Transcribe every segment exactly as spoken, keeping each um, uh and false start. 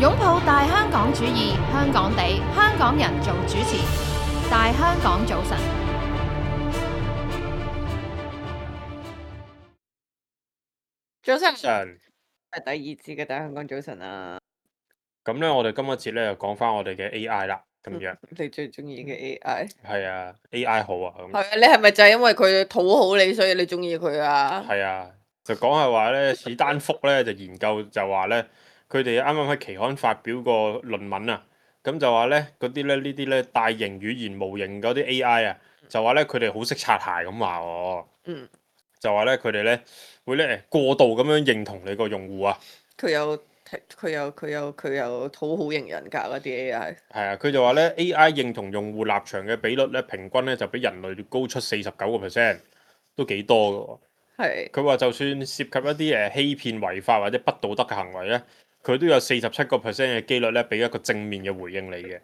擁抱大香港主義，香港地，香港人做主持，大香港早晨。早晨，晨係第二節嘅大香港早晨啊！咁咧，我哋今一節咧就講翻我哋嘅 A I 啦，咁樣你最中意嘅 A I 係啊，A I 好啊，咁係啊？你係咪就係因為佢討好你，所以你中意佢啊？係啊，就講係話咧，史丹福咧就研究就話咧，佢哋啱啱喺期刊發表個論文啊，咁就話咧嗰啲咧呢啲咧大型語言模型嗰啲 A I 啊，就話咧佢哋好識擦鞋咁話喎，嗯，就話咧佢哋咧會咧過度咁樣認同你個用戶啊。佢有佢有佢有佢有討好型人格嗰啲 A I。係啊，佢就話咧 A I 認同用戶立場嘅比率咧，平均咧就比人類高出四十九個 percent，都幾多㗎喎。係佢話就算涉及一啲誒欺騙、違法或者不道德嘅行為咧，佢都有四十七個 percent 嘅機率咧，俾一個正面嘅回應你嘅。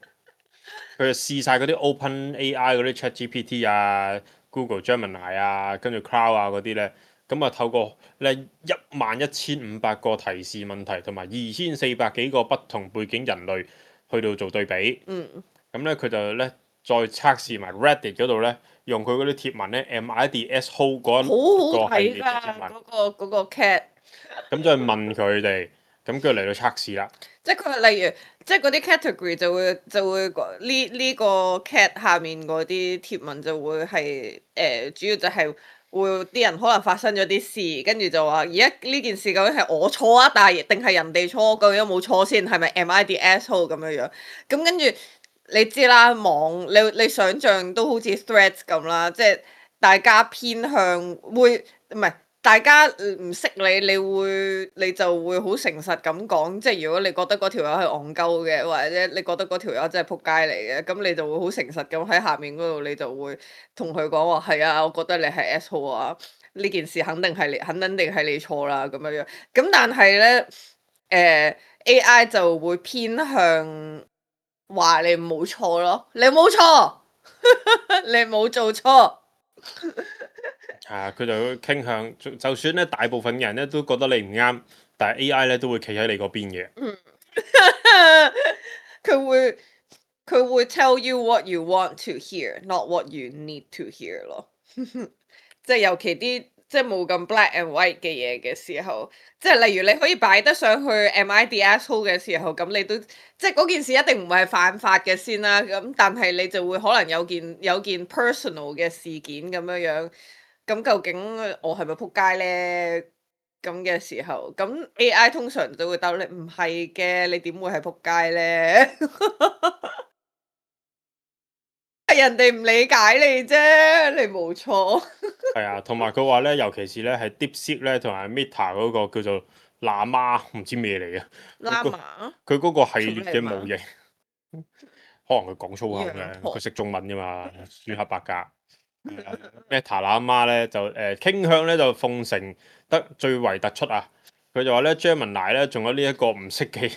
佢就試晒嗰啲 Open A I 嗰啲 ChatGPT 啊、Google Gemini 啊、跟住 Cloud 啊嗰啲咧，咁啊透過咧一萬一千五百個提示問題同埋二千四百幾個不同背景人類去到做對比。嗯，咁咧佢就咧再測試埋 Reddit 嗰度咧，用佢嗰啲貼文咧 M I D S Hole 嗰好好睇個系列嘅貼㗎，文，嗰個嗰個 cat。咁再問佢哋，咁跟住嚟到測試啦。即係佢例如，即係嗰啲 category 就會就會呢呢個 cat 下面嗰啲貼文就會係誒、呃、主要就係會啲人可能發生咗啲事，跟住就話而家呢件事究竟係我錯啊，但係定係人哋錯？究竟有冇錯先？係咪 am I the asshole 咁樣樣？咁跟住你知啦，網你你想象都好似 threads 咁啦，即係大家偏向會唔係？大家唔識你，你會你就會好誠實咁講，即係如果你覺得嗰條友係戇鳩嘅，或者你覺得嗰條友真係仆街嚟嘅，咁你就會好誠實咁喺下面嗰度，你就會同佢講話係啊，我覺得你係 asshole 啊，呢件事肯定係你，肯定係你錯啦咁樣樣。咁但係咧，誒、呃、A I 就會偏向話你冇錯咯，你冇錯，你冇做錯。係啊，佢就會傾向，就就算咧大部分人咧都覺得你唔啱，但係 A I 咧都會企喺你嗰邊嘅。佢會佢會 tell you what you want to hear，not what you need to hear 咯。即係尤其啲即係冇咁 black and white 嘅嘢嘅時候，即係例如你可以擺得上去 am I the asshole 嘅時候，咁你都即係嗰件事一定唔會係犯法嘅先啦。咁但係你就會可能有件有件 personal 嘅事件咁樣樣。咁究竟我係咪仆街咧？咁嘅時候，咁 A I 通常就會答你唔係嘅，你點會係仆街咧？係人哋唔理解你啫，你冇錯。係啊，同埋佢話咧，尤其是咧係 DeepSeek 咧同埋 Meta 嗰個叫做喇嘛，唔知咩嚟嘅。拉馬佢嗰個系列嘅模型，做可能佢講粗口嘅，羊婆佢識中文㗎嘛，酸黑白格。Meta 喇嘛咧就誒、呃、傾向咧就奉承得最為突出啊！佢就話咧 Gemini 咧仲有呢一個唔識嘅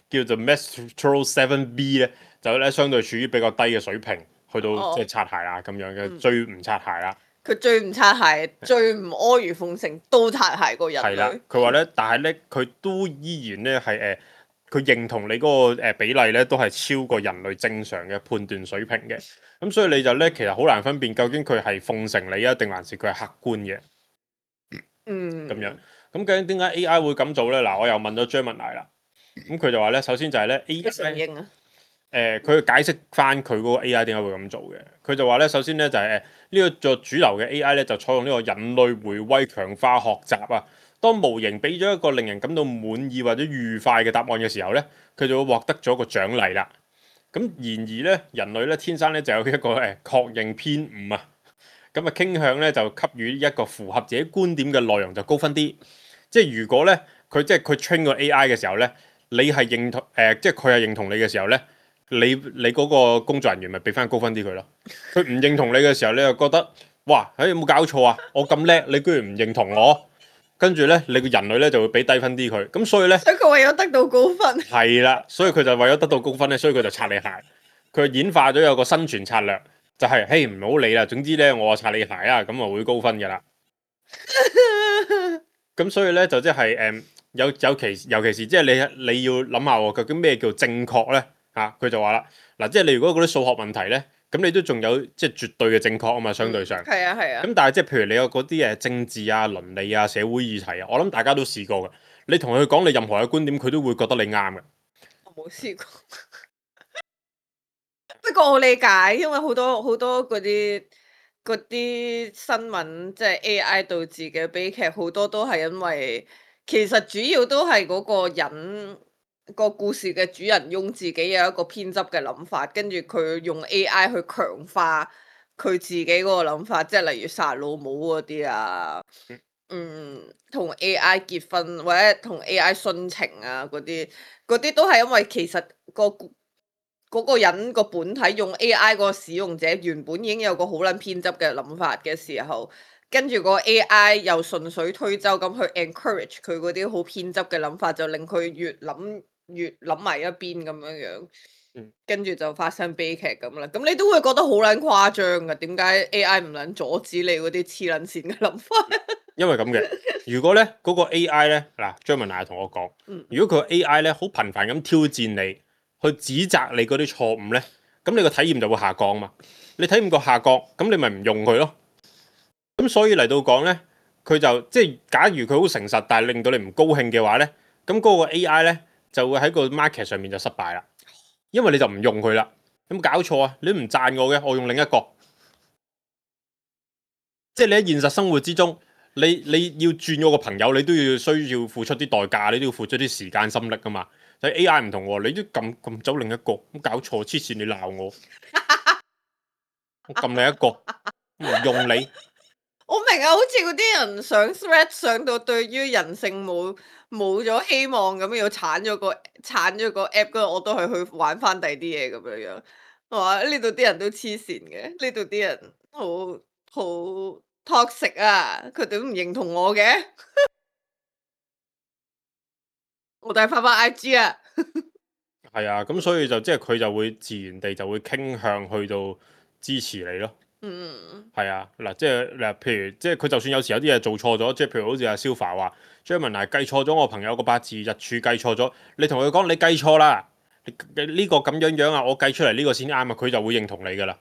叫做 Mistral Seven B 咧，就咧相對處於比較低嘅水平，去到哦即係擦鞋啊咁樣嘅，嗯最唔擦鞋啦。佢最唔擦鞋，最唔阿諛奉承，都擦鞋個人係啦類。，佢話咧，但係咧佢都依然咧係誒，佢、認同你嗰個誒比例咧都係超過人類正常嘅判斷水平嘅。咁所以你就咧其實好難分辨究竟佢係奉承你啊，定還是佢係客觀嘅嗯，咁樣。咁究竟點解 A I 會咁做咧？嗱，我又問咗 Gemini 啦。咁佢就話咧，首先就係咧 A 一承 I 認啊，誒，佢、解釋翻佢嗰個 A I 點解會咁做嘅。佢就話咧，首先咧就係誒呢個做主流嘅 A I 咧，就採用呢個人類回歸強化學習啊。當模型俾咗一個令人感到滿意或者愉快嘅答案嘅時候咧，佢就會獲得咗個獎勵啦。咁然而咧，人類咧天生咧就有一個誒確認偏誤啊。咁啊傾向咧就給予一個符合自己觀點嘅內容就高分啲。即係如果咧佢即係佢 train 個 A I 嘅時候咧，你係認同誒、呃，即係佢係認同你嘅時候咧，你你嗰個工作人員咪俾翻高分啲佢咯。佢唔認同你嘅時候，你就覺得哇，誒、哎、有冇搞錯啊？我咁叻，你居然唔認同我，跟住咧你個人類咧就會俾低分啲佢。咁所以咧所以佢為咗得到高分，係啦，所以佢就為咗得到高分咧，所以佢就擦你鞋。佢演化咗有個生存策略，就係、是、嘿唔好理啦，總之咧我擦你鞋啊，咁啊會高分噶啦。咁所以咧就即係誒有有其尤其是即係你你要諗下喎，究竟咩叫正確咧？嚇、佢就話啦，嗱，即係你如果嗰啲數學問題咧，咁你都仲有即係絕對嘅正確啊嘛，相對上。係啊係啊。咁但係即係譬如你有嗰啲誒政治啊、倫理啊、社會議題啊，我諗大家都試過嘅。你同佢講你任何嘅觀點，佢都會覺得你啱嘅。我冇試過，不過我理解，因為好多好多嗰啲嗰啲新聞，即係 A I 導致嘅悲劇，好多都係因為其實主要都係嗰個人個故事嘅主人翁自己有一個偏執嘅諗法，跟住佢用 A I 去強化佢自己嗰個諗法，即係例如殺老母嗰啲啊。嗯，同 A I 結婚或者同 A I 殉情啊，嗰啲嗰啲都係因為其實個嗰個人個本體用 A I 個使用者原本已經有個好撚偏執嘅諗法嘅時候，跟住個 A I 又順水推舟咁去 encourage 佢嗰啲好偏執嘅諗法，就令佢越諗越諗埋一邊咁樣樣。跟住就發生悲劇咁啦，咁你都會覺得好撚誇張噶，點解 A I 唔撚阻止你嗰啲黐撚線嘅諗法？因為咁嘅，如果咧嗰、嗰個 A I 咧，嗱，張文娜同我講，如果佢 A I 咧好頻繁咁挑戰你，去指責你嗰啲錯誤咧，咁你個體驗就會下降嘛。你體驗個下降，咁你咪唔用佢咯。咁所以嚟到講咧，佢就即係假如佢好誠實，但係令到你唔高興嘅話咧，咁嗰個 A I 咧就會喺個 market 上面就失敗啦。因為你就唔用佢啦，有冇搞錯啊？你都唔讚我嘅，我用另一個。即係你喺現實生活之中，你你要轉我個朋友，你都要需要付出啲代價，你都要付出啲時間心力噶嘛。但係 A I 唔同喎，你都撳撳走另一個，咁搞錯，黐線你鬧我，我撳你一個，唔用你。我明啊，好似嗰啲人上 thread 上到對於人性冇冇咗希望咁，要鏟咗個鏟咗個 app，嗰度我都係去玩翻第啲嘢咁樣樣。係嘛？呢度啲人都黐線嘅，呢度啲人好好 toxic 啊！佢哋都唔認同我嘅，我哋係翻翻 I G 啊。係啊，咁所以就即係佢就會自然地就會傾向去到支持你咯。嗯，係啊，嗱，即係嗱，譬如即係佢就算有時有啲嘢做錯咗，即係譬如好似阿 Sofa 話張文娜計錯咗我朋友個八字日柱計錯咗，你同佢講你計錯啦，呢個咁樣樣啊，我計出嚟呢個先啱啊，佢就會認同你噶啦，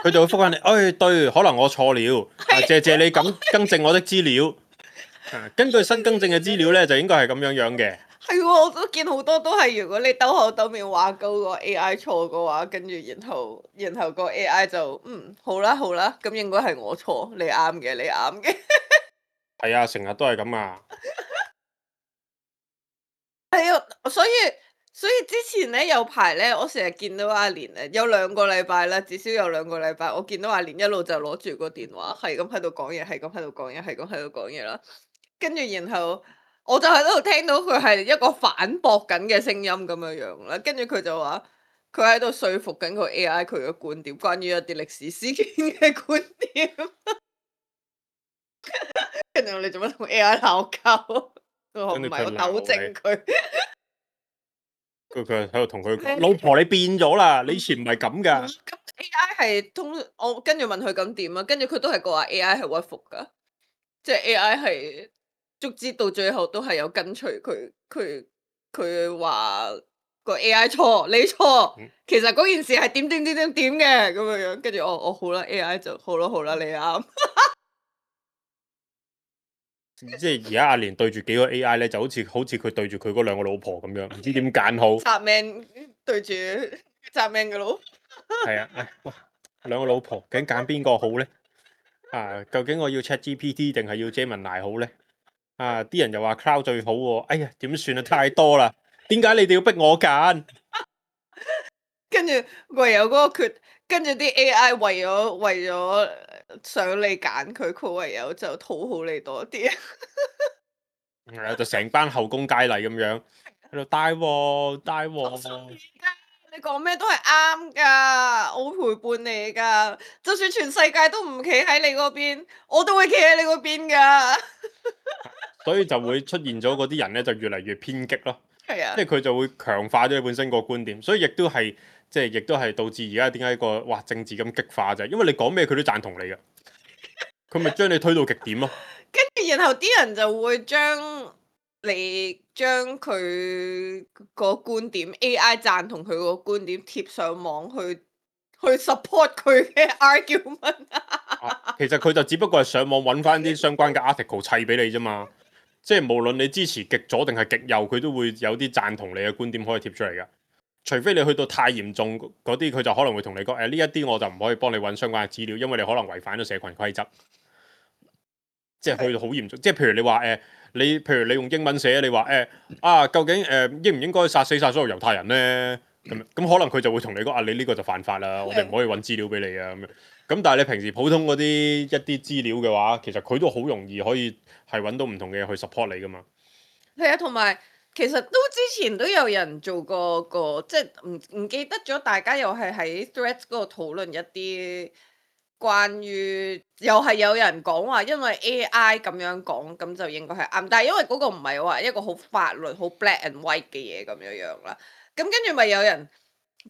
佢就會覆返你，哎對，可能我錯了，謝謝你咁更正我的資料，根據新更正嘅資料咧，就應該係咁樣樣嘅。係喎，我都見好多都係，如果你兜口兜面話鳩個 A I 錯嘅話，跟住然後然後個 A I 就嗯好啦好啦，咁應該係我錯，你啱嘅，你啱嘅。係啊，成日都係咁啊。係啊，所以所以之前咧有排咧，我成日見到阿蓮咧，有兩個禮拜啦，至少有兩個禮拜，我見到阿蓮一路就攞住個電話，係咁喺度講嘢，係咁喺度講嘢，係咁喺度講嘢啦。跟住然後我就喺度聽到佢係一個反駁緊嘅聲音咁樣樣啦。跟住佢就話佢喺度說服緊個 A I 佢嘅觀點，關於一啲歷史事件嘅觀點。跟住你做乜同 A I 鬧交？我唔係，我糾正佢。佢佢喺度同佢老婆，你變咗啦！你以前唔係咁噶。咁 A I 係通，我跟住問佢咁點啊？跟住佢都係講話 A I 係屈服噶，即係 A I 係足之到最後都係有跟隨佢，佢佢話個 A I 錯，你錯，其實嗰件事係點點點點點嘅咁樣樣。跟住我我好啦 ，A I 就好啦好啦，你啱。即係而家阿蓮對住幾個 A I 咧，就好似好似佢對住佢嗰兩個老婆咁樣，唔知點揀好。雜命對住雜命嘅佬。係啊，唉，哇，兩個老婆究竟揀邊個好咧？啊，究竟我要 ChatGPT 定係要 Gemini 好咧？啊，啲人又話 Cloud 最好喎。哎呀，點算啊？太多啦，點解你哋要逼我揀？跟住唯有嗰個決，跟住啲 A I 為咗為咗想你揀佢，佢唯有就討好你多啲。係啊，就成班後宮佳麗咁樣喺度帶喎帶喎。你講咩都係啱噶，我會陪伴你噶。就算全世界都唔企喺你嗰邊，我都會企喺你嗰邊噶。所以就會出現咗嗰啲人咧，就越嚟越偏激咯。係啊，即係佢就會強化咗佢本身個觀點，所以亦都係即係亦都係導致而家點解個哇政治咁激化就係因為你講咩佢都贊同你嘅，佢咪將你推到極點咯。跟住然後啲人就會將你將佢個觀點 A I 贊同佢個觀點貼上網去去 support 佢嘅 argument 啊其實佢就只不過係上網揾翻啲相關嘅 article 砌俾你啫嘛。即係無論你支持極左定係極右，佢都會有啲贊同你嘅觀點可以貼出嚟㗎。除非你去到太嚴重嗰啲，佢就可能會同你講誒呢一啲我就唔可以幫你揾相關嘅資料，因為你可能違反咗社群規則。即係去到好嚴重，即係譬如你話誒、呃，你譬如你用英文寫，你話誒、呃、啊，究竟誒、呃、應唔應該殺死晒所有猶太人咧？咁咁可能佢就會同你講啊，你呢個就犯法啦，我哋唔可以揾資料俾你啊咁樣。咁但係你平時普通嗰啲一啲資料嘅話，其實佢都好容易可以係揾到唔同嘅嘢去 support 你噶嘛。係啊，同埋其實都之前都有人做過個，即係唔唔記得咗，大家又係喺 Threads 嗰度討論一啲關於，又係有人講話，因為 A I 咁樣講，咁就應該係啱。但係因為嗰個唔係話一個好法律、好 black and white 嘅嘢咁樣樣啦。咁跟住咪有人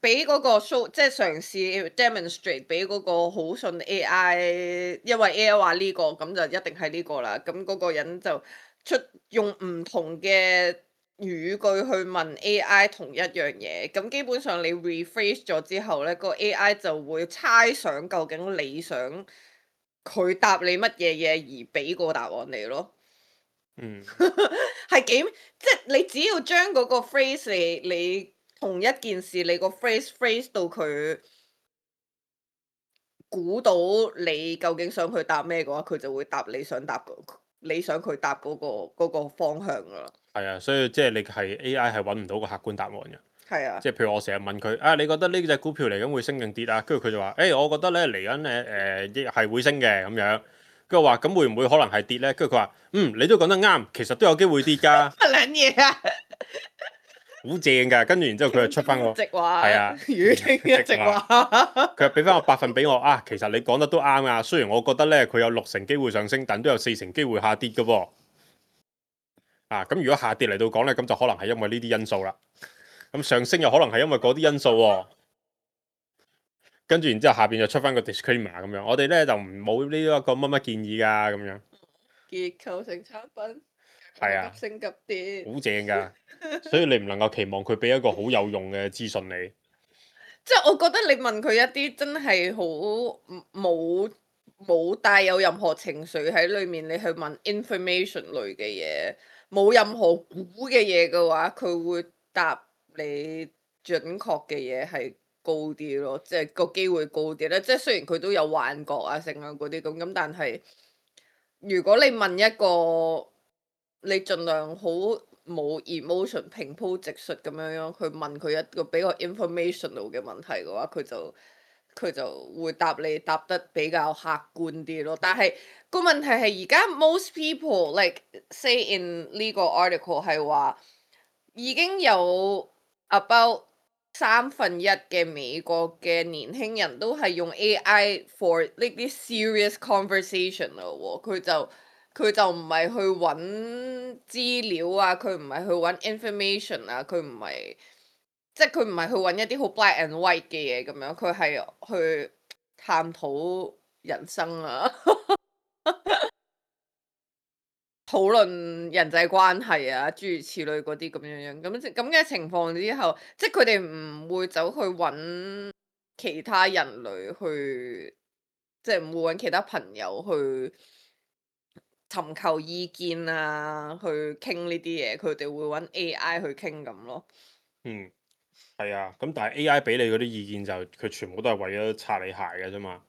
俾嗰個 show，即係嘗試 demonstrate 俾嗰個好信 A I，因為 A I 話呢個，咁就一定係呢個啦。咁嗰個人就出用唔同嘅語句去問 A I 同一樣嘢，咁基本上你 rephrase 咗之後呢，個 A I 就會猜想究竟你想佢答你乜嘢嘢而俾個答案你咯。嗯，係幾即係你只要將嗰個 phrase 你你同一件事你個 phrase phrase 到佢估到你究竟想佢答咩嘅話，佢就會答你想答個你想佢答嗰個嗰個方向噶啦。係啊，所以即係你係 A I 係揾唔到個客觀答案嘅。係啊，即係譬如我成日問佢啊，你覺得呢隻股票嚟緊會升定跌啊？跟住佢就話：誒、欸，我覺得咧嚟緊誒誒係會升嘅咁樣。跟住我話：咁會唔會可能係跌咧？跟住佢話：嗯，你都講得啱，其實都有機會跌㗎。乜撚嘢啊？好正㗎。跟住然之後佢就出翻個直話，係啊，語聽一直話。佢又俾翻個百分俾我啊。其實你講得都啱啊。雖然我覺得咧佢有六成機會上升，但都有四成機會下跌㗎喎。啊，咁如果下跌嚟到講咧，咁就可能係因為呢啲因素啦。咁上升又可能係因為嗰啲因素喎。跟住然之後下邊就出翻個 disclaimer 咁樣，我哋咧就唔冇呢一個乜乜建議㗎咁樣。結構性產品係啊，急升急跌，好正㗎。所以你唔能夠期望佢俾一個好有用嘅資訊你。即係我覺得你問佢一啲真係好冇冇帶有任何情緒喺裏面，你去問 information 類嘅嘢，冇任何估嘅嘢嘅話，佢會答你準確嘅嘢係高啲咯，即係個機會高啲咧。即係雖然佢都有幻覺啊、成啊嗰啲咁，咁但係如果你問一個你盡量好冇 emotion 平鋪直述咁樣樣，去問佢一個比較 informational 嘅問題嘅話，佢就佢就會答你答得比較客觀啲咯。但係個問題係而家 most people like say in 呢個 article 係話已經有 about 三分一嘅美國嘅年輕人都係用 A I for 呢啲 serious conversation 咯喎，佢就佢就唔係去揾資料啊，佢唔係去揾 information 啊，佢唔係即係佢唔係去揾一啲好 black and white 嘅嘢咁樣，佢係去探討人生啊。討論人際關係啊，諸如此類嗰啲咁樣樣，咁咁嘅情況之後，即係佢哋唔會走去揾其他人類去，即係唔會揾其他朋友去尋求意見啊，去傾呢啲嘢，佢哋會揾 A I 去傾咁咯。嗯，係啊。咁但係 A I 俾你嗰啲意見就佢全部都係為咗擦你鞋嘅啫嘛。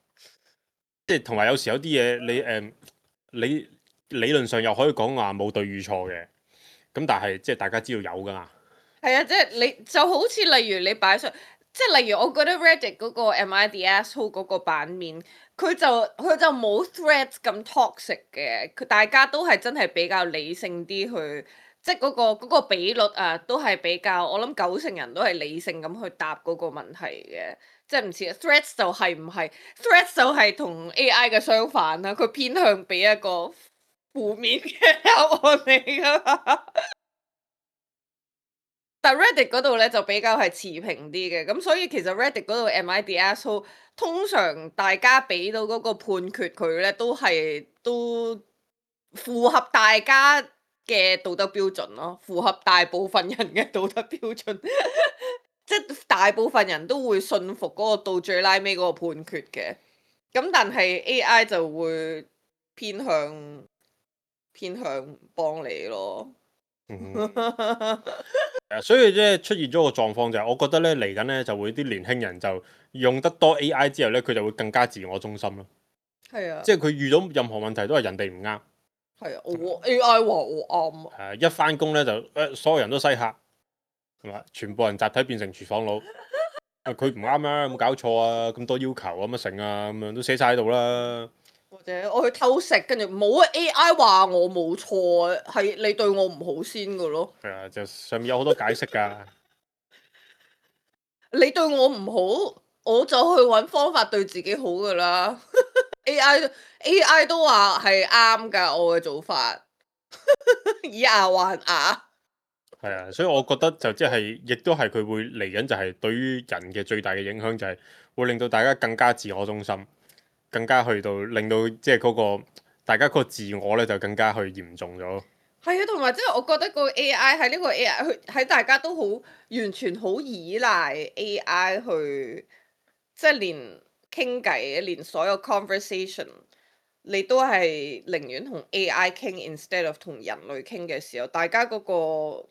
即係同埋有時有啲嘢你誒、嗯、你。理論上又可以講話冇對與錯嘅，咁但係即係大家知道有噶嘛？係啊，即係你就好似例如你擺上，即係例如我覺得 Reddit 嗰個 Am I the Asshole 嗰個版面，佢就佢就冇 Threads 咁 toxic 嘅，佢大家都係真係比較理性啲去，即係嗰個嗰個比率啊，都係比較，我諗九成人都係理性咁去答嗰個問題嘅。即係唔似 Threads 就係唔係 Threads 就係同 A I 嘅相反啦，佢偏向俾一個負面嘅答案嚟噶嘛。但 Reddit 嗰度咧就比較係持平啲嘅，咁所以其實 Reddit 嗰度 Am I the Asshole 通常大家俾到嗰個判決佢咧都係都符合大家嘅道德標準咯，符合大部分人嘅道德標準，即係大部分人都會信服嗰個到最拉尾嗰個判決嘅。咁但係 A I 就會偏向偏向幫你咯。嗯哼誒所以咧出現咗個狀況就係，我覺得咧嚟緊咧就會啲年輕人就用得多 A I 之後咧，佢就會更加自我中心咯。係啊，即係佢遇到任何問題都係人哋唔啱。係啊，我 A I 話我啱啊。誒一翻工咧就誒所有人都西客，係嘛？全部人集體變成廚房佬。啊佢唔啱啊，有冇搞錯啊？咁多要求咁乜成啊？咁樣都寫晒喺度啦。或者我去偷食，跟住冇啊 A I 話我冇錯啊，係你對我唔好先噶咯。係啊，就上面有好多解釋㗎。你對我唔好，我就去揾方法對自己好噶啦。A I A I 都話係啱㗎，我嘅做法以牙還牙。係啊，所以我覺得就即係，亦都係佢會嚟緊，就係對於人嘅最大嘅影響就係會令到大家更加自我中心，更加去到令到即係嗰個大家嗰個自我咧就更加去嚴重咗。係啊，同埋即係我覺得個 A I 喺呢個 A I 佢喺大家都好完全好依賴 A I 去，即係連傾偈，連所有 conversation 你都係寧願同 A I 傾 instead of 同人類傾嘅時候，大家嗰個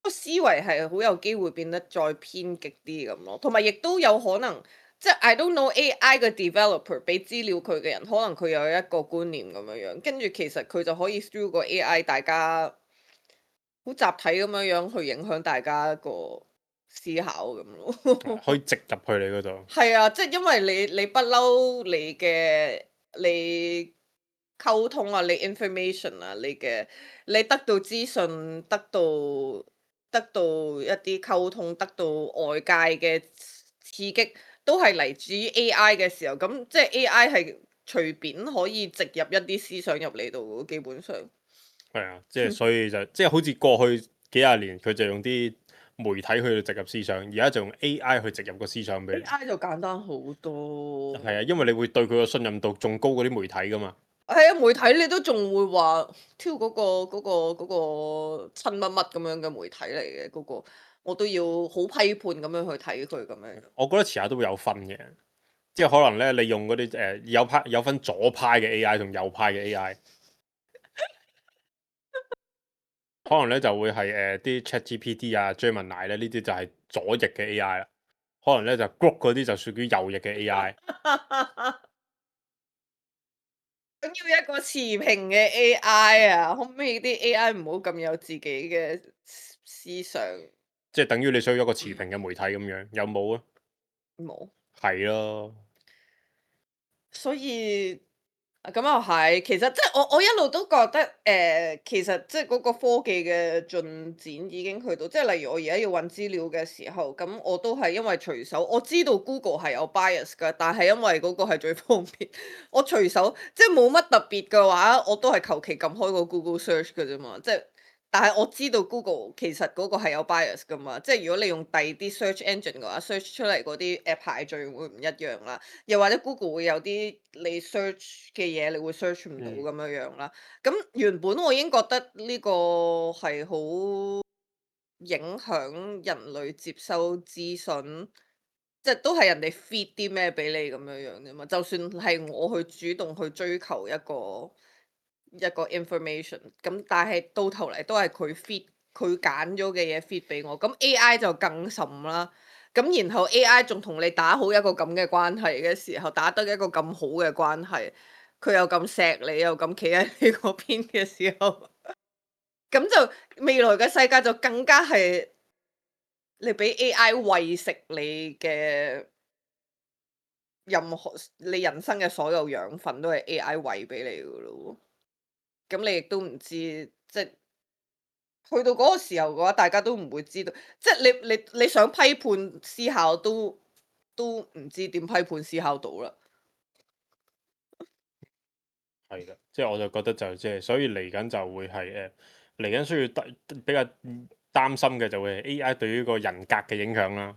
個思維係好有機會變得再偏極啲咁咯，同埋亦都有可能，即係 I don't know A I 嘅 developer 俾資料佢嘅人，可能佢有一個觀念咁樣樣，跟住其實佢就可以 through 個 A I，大家好集體咁樣樣去影響大家個思考咁咯。可以植入去你嗰度。係啊，即係因為你你不嬲你嘅你溝通啊，你 information 啊，你嘅你得到資訊，得到得到一啲溝通，得到外界嘅刺激，都係嚟自於 A I 嘅時候，咁即係 A I 係隨便可以植入一啲思想入嚟度，基本上。係啊，即係所以就即係好似過去幾廿年佢就用啲媒體去植入思想，而家就用 A I 去植入個思想俾 A 你。 I 就簡單好多。係啊，因為你會對佢個信任度仲高過啲媒體噶嘛。係啊，媒體你都仲會話挑嗰個嗰個嗰個親乜乜咁樣嘅媒體嚟嘅嗰個，我都要好批判咁樣去睇佢咁樣。我覺得遲下都會有分嘅，即係可能咧，你用嗰啲誒有派有分左派嘅 A I 同右派嘅 A I，可能咧就會係誒啲 ChatGPT 啊、Gemini 咧呢啲就係左翼嘅 A I 啦，可能咧就 Grok 嗰啲就屬於右翼嘅 A I。咁要一個持平嘅 A I 啊，可唔可以啲 A I 唔好咁有自己嘅思想？即係等於你想要一個持平嘅媒體咁樣，有冇啊？冇。係咯。所以啊咁又係，其實即係我我一路都覺得誒、呃其實即係嗰個科技嘅進展已經去到，即係例如我而家要揾資料嘅時候，咁我都係因為隨手我知道 Google 係有 bias 㗎，但係因為嗰個係最方便，我隨手即係冇乜特別嘅話，我都係求其撳開個 Google search 㗎啫嘛，即係。但係我知道 Google 其實嗰個係有 bias 噶嘛，即係如果你用第二啲 search engine 嘅話，search 出嚟嗰啲誒排序會唔一樣啦，又或者 Google 會有啲你 search 嘅嘢你會 search 唔到咁樣樣啦。咁、原本我已經覺得呢個係好影響人類接收資訊，即係都係人哋 feed 啲咩俾你咁樣樣啫嘛。就算係我去主動去追求一個。一個 information，咁但係到頭嚟都係佢 feed 佢揀咗嘅嘢 feed 俾我，咁 A I 就更甚啦。咁然後 A I 仲同你打好一個咁嘅關係嘅時候，打得一個咁好嘅關係，佢又咁錫你，又咁企喺你嗰邊嘅時候，咁就未來嘅世界就更加係你俾 A I 餵食你嘅任何你人生嘅所有養分都係 A I 餵俾你噶咯。咁你亦都唔知，即係去到嗰個時候嘅話，大家都唔會知道，即係你你你想批判思考都都唔知點批判思考到啦。係啦，即係我就覺得就即係，所以嚟緊就會係誒嚟緊需要擔比較擔心嘅就會係 A I 對於個人格嘅影響啦。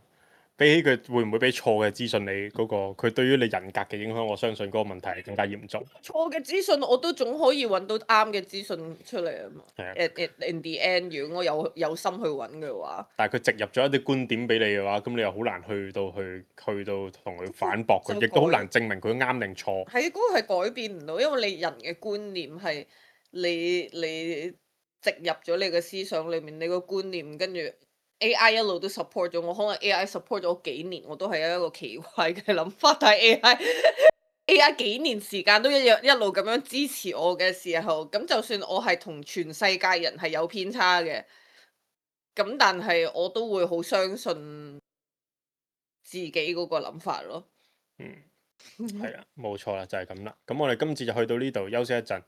比起佢會唔會俾錯嘅資訊你嗰、個，佢對於你人格嘅影響，我相信嗰個問題係更加嚴重。錯嘅資訊我都總可以揾到啱嘅資訊出嚟啊嘛。係啊 At at in the end，如果我有有心去揾嘅話，但係佢植入咗一啲觀點俾你嘅話，咁你又好難去到去去到同佢反駁佢，就亦都好改難證明佢啱定錯。係嗰個係改變唔到，因為你人嘅觀念係你你植入咗你嘅思想裏面，你個觀念跟住 A I 一路都 support 咗我，可能 A I support 咗幾年，我都係一個奇怪嘅諗法，但係 A I A I 幾年時間都一樣一路咁樣支持我嘅時候，咁就算我係同全世界人係有偏差嘅，咁但係我都會好相信自己嗰個諗法咯。嗯，係啊，冇錯啦，就係咁啦。咁我哋今次就去到呢度休息一陣。